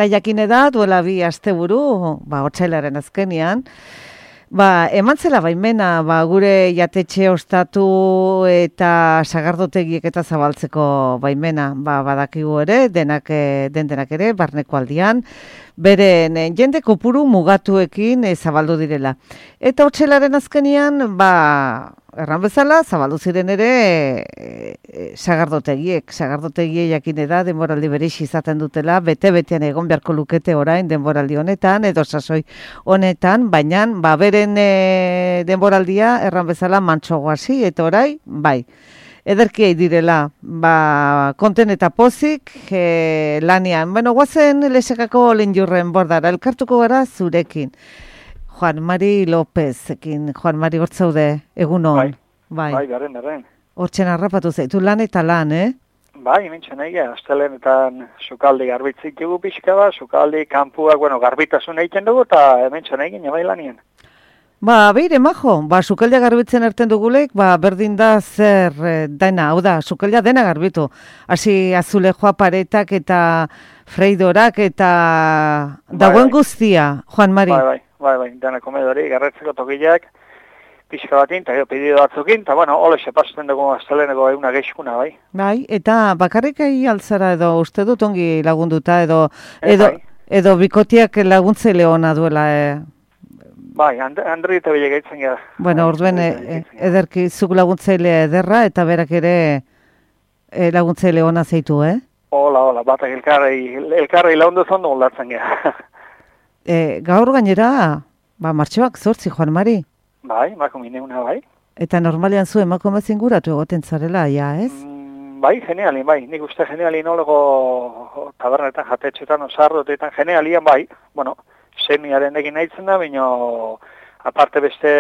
Eta jakine da, duela 2 asteburu, otsailaren azkenean, eman zela baimena, gure jatetxe ostatu eta sagardotegiek eta zabaltzeko baimena, badakigu ere, denak ere, barneko aldian, beren jende kopuru mugatuekin zabaldu direla. Eta otsailaren azkenean, erran bezala, zabaldu ziren ere sagardotegiek jakine da, denboraldi berix izaten dutela, bete-betean egon beharko lukete orain denboraldi honetan, edo sasoi honetan, baina, beren denboraldia, erran bezala, mantsogoasi, eta orai, ederkiei direla, konten eta pozik lanian. Guazen lesekako linjurren bordara, elkartuko gara zurekin. Juan Mari Lópezekin, Juan Mari hortzaude, egunon. Bai, garen. Hortzen harrapatu zaitu lan eta lan, Hementxen egia, astelenetan sukaldi garbitzik dugu pixka sukaldi kanpuak, garbitasun egiten dugu, eta hementxen egin, bai lanien. Beire, majo, sukaldea garbitzen erten dugulek, berdin da zer dena, hau da, sukaldea dena garbitu. Hasi azulejoa paretak eta freidorak eta dagoen guztia, Juan Mari. Bai, dena komedori, garretzeko tokileak, pixka batin, eta pedido batzukin, eta ole sepasten dugu asteleneko eguna geixkuna, bai. Bai, eta bakarrik altzara edo uste dut ongi lagunduta, edo bikotiak laguntzaile ona duela, Bai, Andri eta bile gaitzen gara. Orduen, ederki zuk laguntzaile ederra, eta berak ere laguntzaile ona zeitu, Hola, batak elkarrei lagundu zondo moldatzen gara. Gaur gainera, martxoak 8, Juan Mari. Bai, makumineuna, bai. Eta normalean zu emakume zinguratu egoten zarela, ez? Bai, genialin, bai. Nik uste genialin olego tabernetan, jatetxetan, osardotetan, genialian, bai. Semiaren egin nahitzen da, baina aparte beste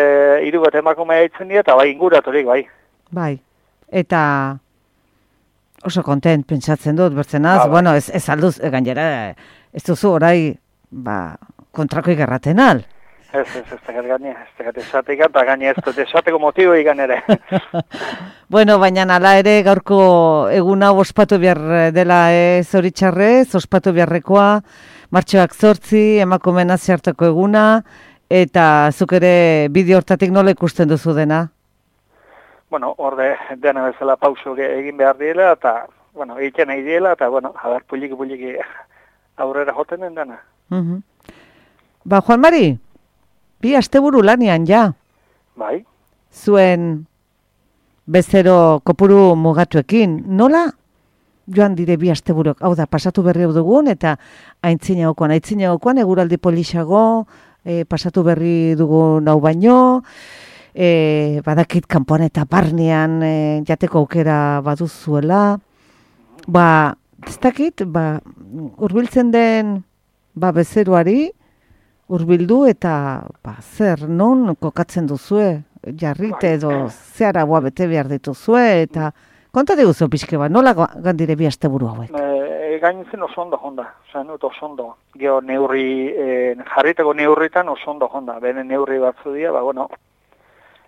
3 bat emakume haitzen dira, eta inguraturik, bai. Bai, eta oso kontent pentsatzen dut, bertzenaz, ez alduz, gainera, ez duzu orai, kontrako igarraten al. Ez tegat esatik, eta gaine ez dut esateko motibo ikan ere. Baina ala ere gaurko eguna ospatu behar dela zoritxarrez, ospatu beharrekoa, martxoak 8, emakumeen hartako eguna, eta zuk ere bideo hortatik nola ikusten duzu dena? Horde dena bezala pauso egin behar diela, eta, egiten nahi diela, eta, puliki aurrera joten den dena. Juan Mari, 2 asteburu lanian, ja? Bai. Zuen bezero kopuru mugatuekin, nola joan dire 2 asteburok, hau da, pasatu berri dugun, eta aintzinegokoan, eguraldi polixago, pasatu berri dugun hau baino, badakit kanpoan eta barnean jateko aukera baduzuela, ez dakit, urbiltzen den bezeroari, urbildu eta zer, non kokatzen duzue, jarrite edo zehara bete behar dituzue, eta konta diguzu pixke nola gandire 2 asteburu hauek? Gaintzen oso ondo honda, oso ondo. Geo jarriteko neurritan oso ondo honda, bene neurri batzu dira,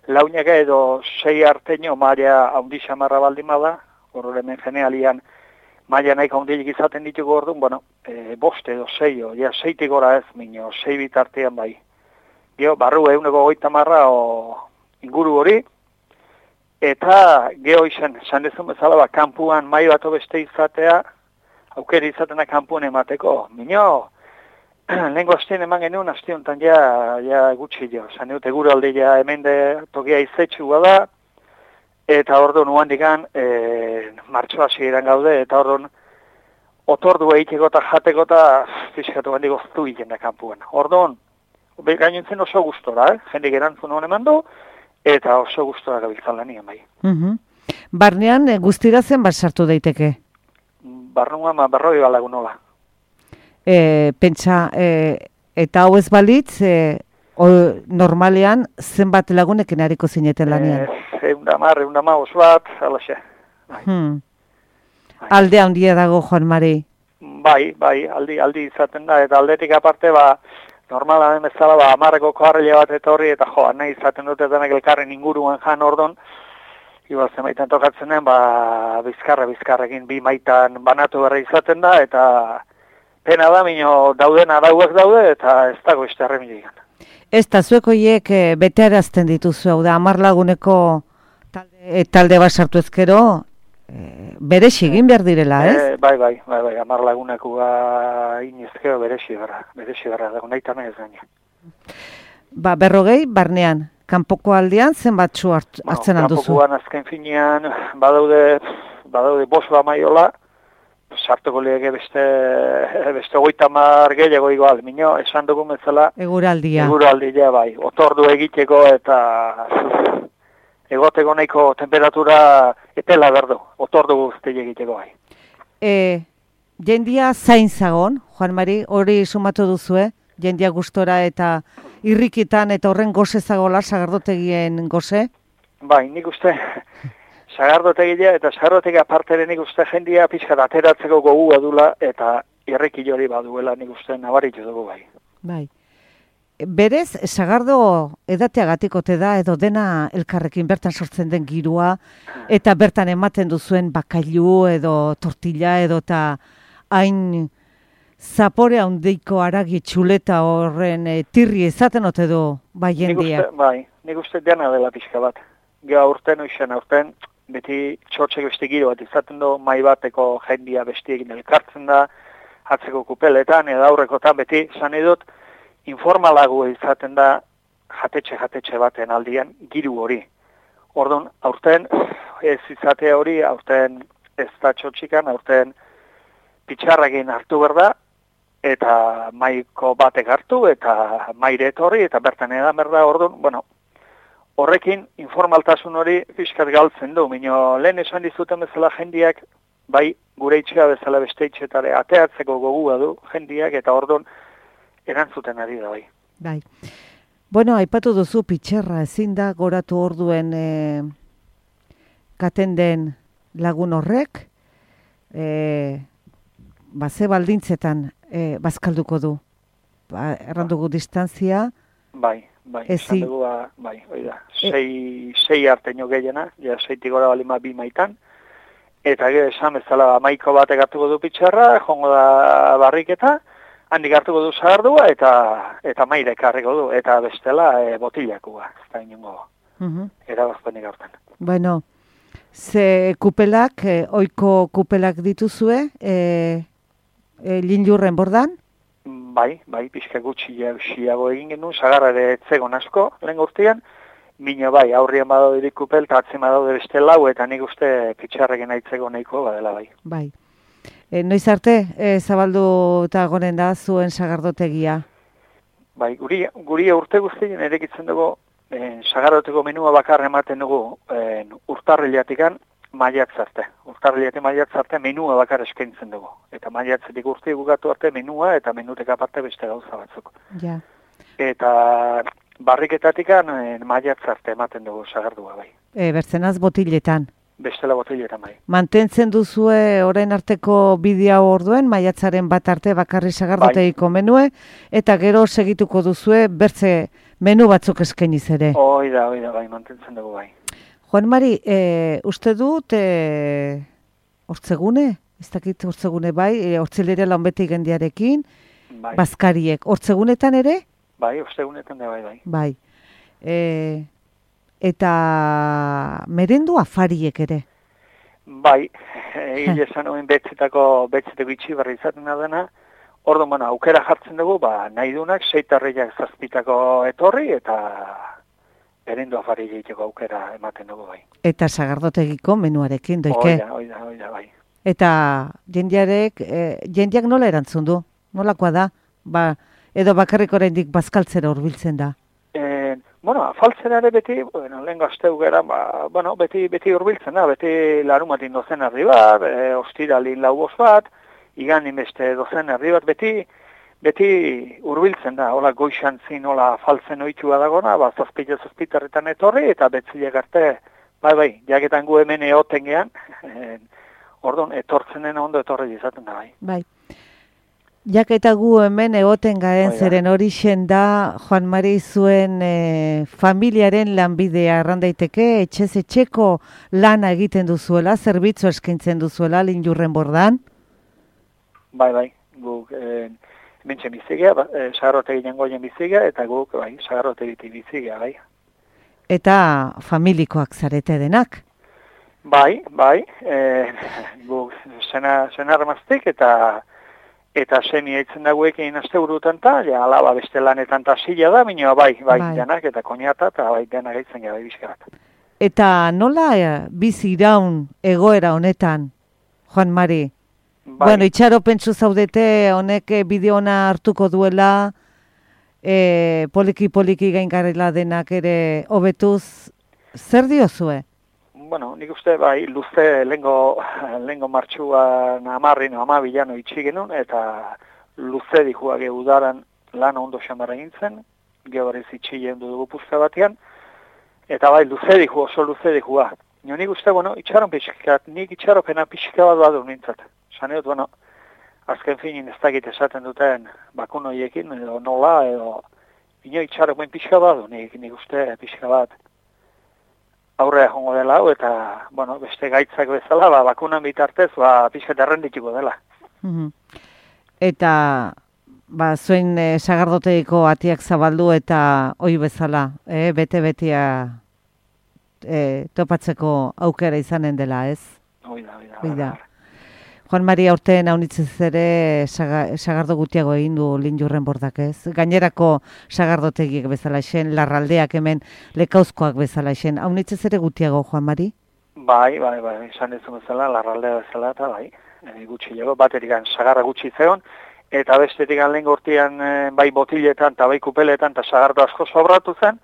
launak edo 6 arteño maila haundi xamarra baldin bada, horre hemen genealian maila nahiko haundilik izaten ditugu orduan, 5 edo 6, 6tik gora ez, 6 bitartean bai. Geo, barru 150 o inguru hori, eta geho izan dezun bezala, kanpuan mai bat beste izatea, aukera izatena kanpuan emateko. Lehenko astean eman genuen, aste honetan ja gutxi jo. Zan dut, eguralde ja hemen tokia izetxua da, eta orduan uan digan, martxoa ziren gaude, eta orduan, otordu egiteko eta jateko eta fiskatu handi goztu egiten da kanpuan. Orduan, gainentzen oso gustora, jendik erantzun honen mandu, eta oso gustora gabiltzan lanien bai. Barnean guztira zen bat sartu daiteke? Barruan berroi balagun hola. Pentsa, eta hau ez balitz, normalean zenbat lagunekin hariko zineten lanean? Eundama oso bat, alaxe. Alde handia dago, Juan Mari? Bai, aldi izaten da, eta aldetik aparte, normala den bezala, 10 koarrile bat etorri, eta nahi izaten dute denak elkarren inguruan jan ordon, igual zemaitan tokatzen den, bizkarrekin 2 maitan banatu berra izaten da, eta pena da, mino dauden arauak daude, eta ez dago ez terremidik. Ez da, zuek horiek betearazten dituzu, hau da, 10 laguneko talde bat sartu ezkero, berexi egin behar direla, ez? Bai, 10 laguneko inizkero berexi berra, dago nahi tamen ez gaina. Ba, 40 barnean, kanpoko aldean zenbatzu hartzen alduzu? Kanpokoan azken finean, badaude 5 amaiola, sartuko lege beste 30 gehiago igual, mino, esan dugu metzala. Eguraldia, bai, otordu egiteko eta egoteko nahiko temperatura epela berdu, otordu guzti egiteko bai. Jendia zain zagon, Juan Mari, hori sumatu duzue, jendia gustora eta irrikitan eta horren goze zagola, sagardotegien goze? Bai, nik uste... Sagardotegia eta sagardotegi aparteren nik uste jendia pixka ateratzeko gogua dula eta irriki hori baduela nik uste nabaritu dugu bai. Bai. Berez, sagardo edateagatik ote da edo dena elkarrekin bertan sortzen den girua eta bertan ematen duzuen bakailu edo tortilla edo eta hain zapore handeiko aragi txuleta horren tirri ezaten ote du bai jendia? Nik uste dena dela pixka bat. Gero aurten, beti txortxeko beste giro bat izaten du, mai bateko jendia bestiekin elkartzen da, atzeko kupeletan, edo aurrekotan beti, zan edut, informalago izaten da jatetxe baten aldian giru hori. Orduan, aurten ez izate hori, aurten ez da txortxikan, aurten pitxarrakin hartu berda, eta maiko batek hartu, eta maire etorri, eta bertan edan berda, orduan, bueno, horrekin informaltasun hori fiskat galtzen du, mino lehen esan dizuten bezala jendiak, bai gure itxea bezala beste itxetare ateatzeko gogua du jendiak, eta orduan erantzuten ari da bai. Bai. Bueno, aipatu duzu pitxerra ezin da goratu orduen katen den lagun horrek, ze baldintzetan bazkalduko du. Errandugu distantzia. Bai, esan dugu, hoi da, 6 arteño gehiena, ja 6 gora balima 2 maitan, eta gero esan bezala maiko batek hartuko du pitxarra, jongo da barriketa, handik hartuko du zagardua, eta maire karriko du, eta bestela botilakua, ez da inungo, erabazpenik hartan. Bueno, ze kupelak, oiko kupelak dituzue, linjurren bordan? Bai, pixka gutxiago egin genuen, sagarra ere etzegon asko, lehen urtean, mino bai, aurrien badaude dikupel, eta atzen badaude beste lau, eta nik uste pitxarrekin aitzeko nahiko badela bai. Bai. Noiz arte, zabaldu eta gonen da zuen sagardotegia? Bai, guri urte guztien erekitzen dugu, sagardoteko menua bakarra ematen dugu urtarrilatikan, maiatz arte. Urtarriletik maiatz arte menua bakar eskaintzen dugu. Eta maiatzetik urte bukatu arte menua eta menutek aparte beste gauza batzuk. Ja. Eta barriketatik maiatz arte ematen dugu sagardua bai. Bertzenaz botiletan. Bestela botiletan bai. Mantentzen duzue orain arteko bidea orduen, maiatzaren bat arte bakarri sagardotegiko menue, eta gero segituko duzue bertze menu batzuk eskainiz ere. Hoi da, bai, mantentzen dugu bai. Juan Mari, uste dut hortzegune? Ez dakit hortzegune bai, hortzelera lanbete igendiarekin, bai. Bazkariek. Hortzegunetan ere? Bai, hortzegunetan bai. Bai. Eta merendu afariek ere? Bai, egile esan oen betzeteko itxi berri izaten dena, orduan, aukera jartzen dugu, nahi dunak, 6 arreiak 7 etorri, eta... Berendu afari egiteko aukera ematen dugu bai. Eta sagardotegiko menuarekin, doike? Oida, bai. Eta jendiak nola erantzun du? Nolakoa da? Edo bakarrik oraindik bazkaltzera hurbiltzen da? Afaltzen ere beti, lehen gazteu gara, beti hurbiltzen da, beti larumatin 12 erdi bat, ostiralin 4 bat, iganin beste 12 erdi bat, beti hurbiltzen da, hola goixantzin, hola faltzen oitua dagona, zazpitarretan etorri, eta betzileak arte, bai, jaketan gu hemen eoten gehan, orduan, etortzenen ondo etorri izaten da, bai. Bai. Jaketa gu hemen egoten garen zeren horixen da, Juan Mari zuen familiaren lanbidea errandaiteke, etxez etxeko lana egiten duzuela, zerbitzu eskaintzen duzuela, linjurren bordan? Bai, guk hementxe bizigea, sagarrotegi jangoien bizigea, eta guk, bai, sagarrotegitik bizigea, bai. Eta familikoak zarete denak? Bai, guk senarmaztik eta semi eitzen dagoekin asteburutan ja, alaba beste lanetan ta sila da, minua bai, denak, eta koñata, eta bai, denak eitzen gara, bizkarat. Eta nola bizi iraun egoera honetan, Juan Mari? Bai. Bueno, itxaropentsu zaudete honek bideo ona hartuko duela, poliki gaingarrela denak ere hobetuz, zer diozue? Bueno, nik uste, bai, luze lengo martxuan amarrin, amabilano itxi genuen, eta luze dihua udaran lan ondo xamara gintzen, gehorrez itxi jendu dugu puzka batean, eta bai, oso luze dihua. Nik uste, bueno, nik itxaropena pixka bat badu nintzat. Saneot, bueno, azken finin ez dakit esaten duten bakunoiekin, edo nola, edo itxaropen pixka badu, nik uste pixka bat aurrea jongo dela, eta, bueno, beste gaitzak bezala, bakunan bitartez, pixka errendituko dela. Eta, zuen sagardotegiko atiak zabaldu eta oi bezala, bete-betea topatzeko aukera izanen dela, ez? Oida. Juan Mari aurten haunitzez ere sagardo gutiago egin du Linjurren bordak, ez? Gainerako sagardotegiek bezala esen, larraldeak hemen lekauzkoak bezala esen. Haunitzez ere gutiago, Juan Mari? Bai, esan ez bezala, larraldea bezala, eta bai, gutxiago, baterik sagarra gutxi zeon, eta bestetik lehen gortian bai botiletan eta bai kupeletan eta sagardo asko sobratu zen,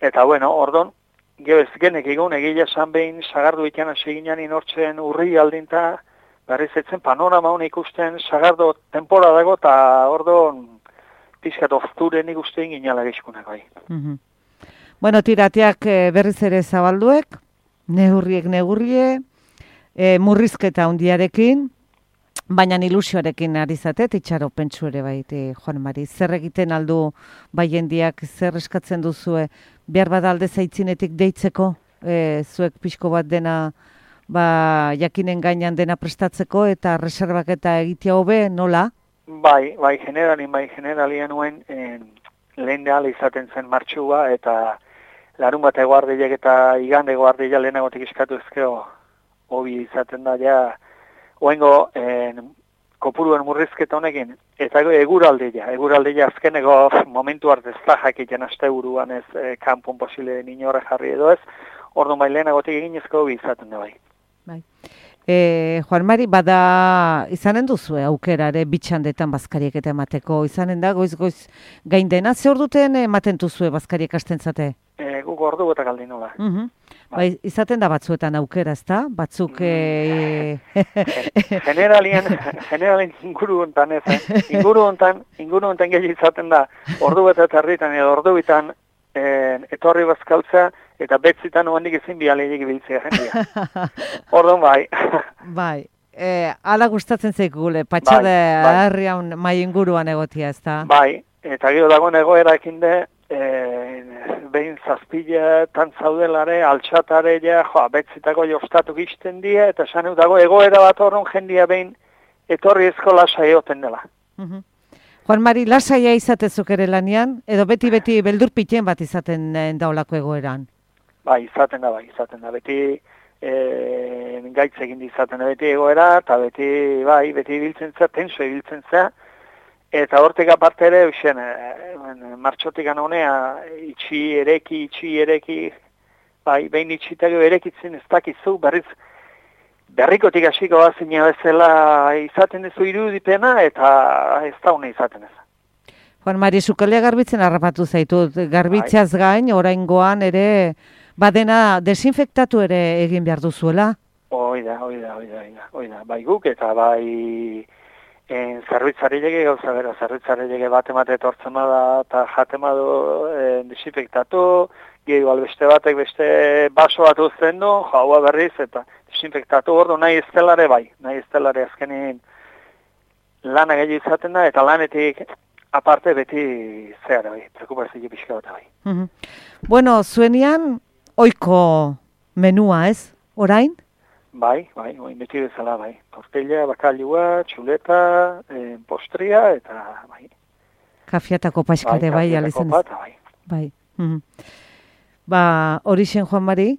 eta bueno, ordon, gebez genek egun egile esan behin sagardo ikan hasi ginen inortzen urri aldinta, berriz etzen panorama honik ikusten sagardo tempora dago, eta ordon pizkat ofturen ikusten ginala gizkunak bai. Bueno, tirateak berriz ere zabalduek, neurrie, murrizketa hundiarekin, baina ilusioarekin ari zatet, itxaropentsu ere bai, Juan Mari. Zer egiten aldu bai jendiak, zer eskatzen duzue, behar bada alde zaitzinetik deitzeko, zuek pixko bat dena, jakinen gainan dena prestatzeko eta reservak eta egitea hobe, nola? Bai, generalien nuen lehen deala izaten zen martxua, eta larun bat eguardilek eta igande eguardilek lehenagotik eskatu ezkeo hobi izaten da, ja, oengo kopuruen murrizketa honekin, eta eguraldeia azkeneko momentu arte ez da jakiten asteburuan ez kanpon posile inorre jarri edo ez, orduan bai lehenagotik egin ezko hobi izaten da bai. Juan Mari, bada izanen duzue aukerare bitxandetan bazkariek eta emateko, izanen da goiz gain dena, ze orduten ematen duzue bazkariek astentzate? Guk ordu eta galdin nola. Izaten da batzuetan aukera, ezta? Batzuk... Generalien inguru hontan ez, inguru hontan gehi izaten da, ordu eta herritan edo ordu bitan etorri bazkaltza, eta betzitan oandik ezin bialeiek biltzea jendia. Orduan bai. Bai. Ala gustatzen zaik gule, patxade harrian mai inguruan egotia, ez da? Bai, eta gero dagoen egoerakin de, behin zazpiletan zaudelare, altxatare, betzitako jostatu gizten die, eta esan dago egoera bat horren jendia behin etorri ezko lasai egoten dela. Juan Mari, lasaia izatezuk ere lanian, edo beti beldurpiten bat izaten daulako egoeran? Bai, izaten da, beti gaitz egin izaten da beti egoera, eta beti biltzen zea, tenso ibiltzen zea, eta hortek aparte ere, martxotik honea, itxi ereki, behin itxitako erekitzen ez dakizu, berrikotik hasiko bazina bezala izaten duzu irudipena, eta ez da hone izaten ez. Juan Mari, sukalea garbitzen harrapatu zaitut, garbitzeaz gain, oraingoan ere, badena desinfektatu ere egin behar duzuela? Oida, bai guk eta bai zerbitzarilege gauza bera, zerbitzarilege bat emate etortzen da eta jatema du desinfektatu, gehiago albeste batek beste baso bat uzten du, jaua berriz eta desinfektatu ordu nahi estelare bai, azkenin lana gehiago izaten da eta lanetik aparte beti zehara bai, preokupazio pixka bat bai. Bueno, zuenian oiko menua ez, orain? Bai, beti bezala, bai. Tortilla, bakailua, txuleta, postria, eta bai. Kafiatako paskare bai, alizan. Bai. Ba, horixen Juan Mari,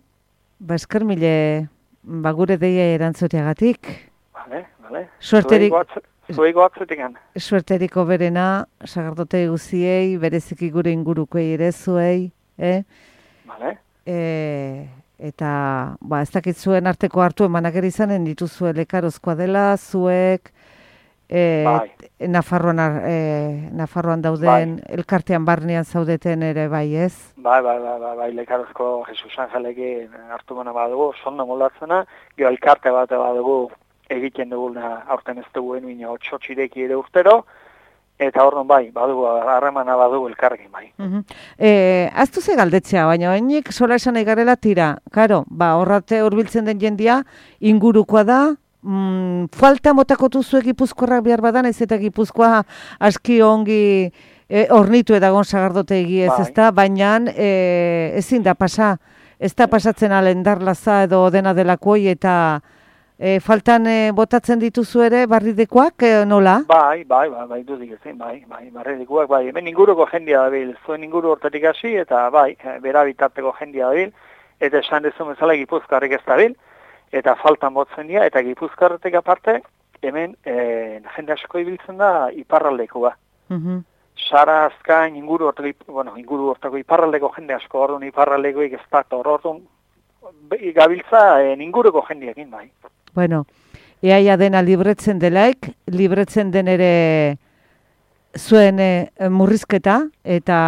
ba, esker mile, ba, gure deia erantzuteagatik. Vale. Zuego atzetikan. Suerteriko berena, sagardote guziei, bereziki gure ingurukoei ere zuei, Vale. Eta, ba, ez dakit zuen arteko hartu emanak ere izanen dituzue lekarozkoa dela, zuek, Bai. Nafarroan dauden, elkartean barnean zaudeten ere bai, ez? Bai, lekarozko Jesus Angelekin hartu gana badugu, sondo moldatzena, gero elkarte bat badugu egiten duguna aurten ez dugu enuin otxotxireki ere urtero, eta orduan bai, badugu, harremana badugu elkarrekin bai. Aztu ze galdetzea, baina hainik sola esan nahi garela tira. Karo, ba, horrate hurbiltzen den jendia, ingurukoa da, falta motakotu zuek Gipuzkoarrak behar badan, ez eta Gipuzkoa aski ongi ornitu edagon sagardotegi ez, ezta, baina ezin da pasa, ez da pasatzen alendarlaza edo dena delakoi eta faltan botatzen dituzu ere barridekoak, nola? Bai, dudik ezin, bai, barridekoak, bai, hemen inguruko jendia dabil, zuen inguru hortatik hasi, eta bai, bera bitarteko jendia dabil, eta esan dezun bezala Gipuzkoarrik ez dabil, eta faltan botzen dira, eta Gipuzkoarretik aparte, hemen jende asko ibiltzen da iparraldekoa. Sara azkain inguru hortako iparraldeko jende asko, orduan iparraldekoik ez da, orduan gabiltza inguruko jendiakin, bai. Bueno, iaia dena libretzen delaik, libretzen den ere zuen murrizketa, eta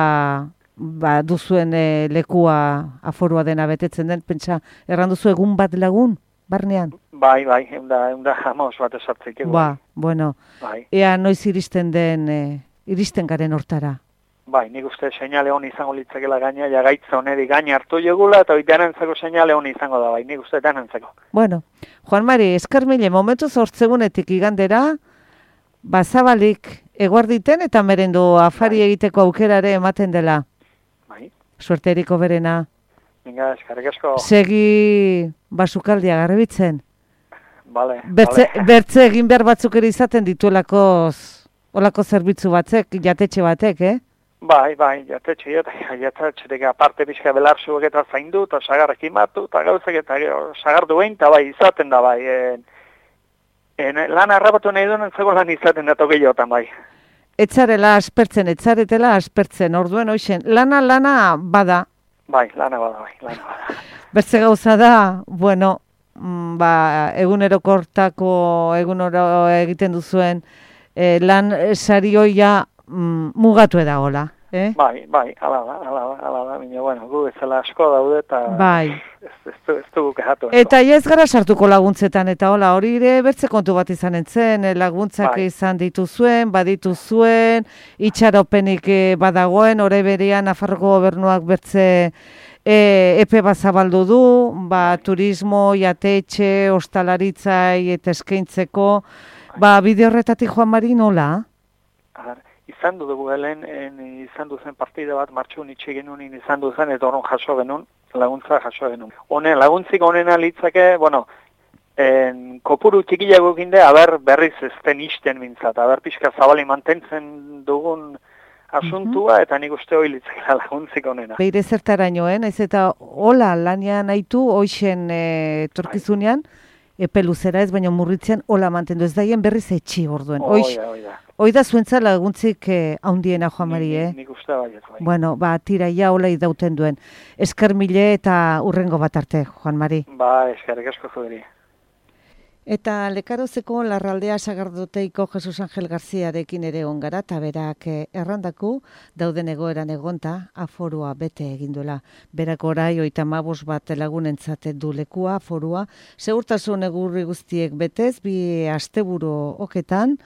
ba, duzuen lekua aforua dena betetzen den, pentsa, erranduzu egun bat lagun, barnean? Bai, eunda jamos bat esartzik. Ba, bueno, ea noiz iristen garen hortara. Bai, nik uste seinale honi izango litzakela gaina, ja gaitza honeri gaina hartu jogula, eta hori denantzeko seinale honi izango da, bai, nik uste denantzeko. Bueno, Juan Mari, esker mile, momentu zortzegunetik igandera, bazabalik eguarditen eta merendu afari egiteko aukerare ematen dela. Bai. Suerteriko berena. Venga, eskarrik asko. Segi basukaldia garbitzen. Vale. Bertze egin behar batzuk ere izaten dituelako olako zerbitzu batzek, jatetxe batek, Bai, jatetxetik aparte pixka belarzuek eta zaindu, eta sagarrek imatu, eta gauzak eta sagardu behin, eta bai, izaten da, bai. Lan harrapatu nahi duen entzeko lan izaten da togeiotan, bai. Etzaretela aspertzen, orduen hoxen, lana bada. Bai, lana bada. Bertze gauza da, bueno, egunero egiten duzuen, lan sarioia mugatu edagola. Bai, ala da, baina, bueno, gu bezala asko daude, eta ez dugu kehatu. Eta ez gara sartuko laguntzetan, eta hola, hori ere bertze kontu bat izan entzen, laguntzak izan dituzuen, badituzuen, itxaropenik badagoen, ore berean Nafarroko gobernuak bertze epe bat zabaldu du, turismo, jatetxe, ostalaritzai eta eskaintzeko, bide horretatik Juan Mari nola? Izan dugu helen, izan duzen partida bat martxun itxe genuen, izan duzen, eta horren jaso genuen, laguntza jaso genuen. Honen, laguntzik honena litzake, bueno, kopuru txikiago ginde, aber berriz ezten isten mintzat, aber pixka zabali mantentzen dugun asuntua, eta nik uste hori litzakela laguntzik honena. Beire zertarainoen, ez eta hola lanian haitu, hoixen torkizunean, epe luzera ez, baina murritzen hola mantendu ez daien berriz etxi orduen. Hoi da zuentza laguntzik haundiena, Juan Mari, Nik uste bai. Bueno, tira ja hola idauten duen. Esker mile eta urrengo bat arte, Juan Mari. Eskerrik asko zueri. Eta Lekarozeko Larraldea Sagardoteiko Jesus Angel Garziarekin ere ongara, eta berak errandaku dauden egoeran egonta aforua bete eginduela. Berak orai 35 bat lagunentzat du lekua aforua, segurtasun egurri guztiek betez, 2 asteburu oketan,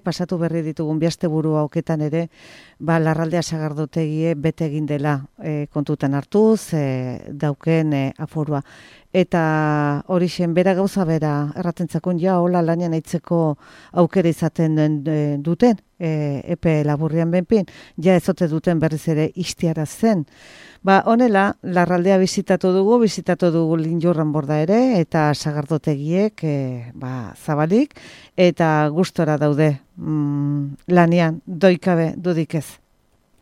pasatu berri ditugun 2 asteburu oketan ere, Larraldea Sagardotegie bete egin dela kontutan hartuz, dauken aforua. eta hori bera gauza bera, erratentzakun ja, hola lanian aitzeko aukera izaten duten, epe laburrian benpin, ja ezote duten berriz ere istiara zen. Ba, honela, Larraldea bizitatu dugu Linjurran borda ere, eta sagardotegiek zabalik, eta gustora daude lanean, doikabe dudik ez.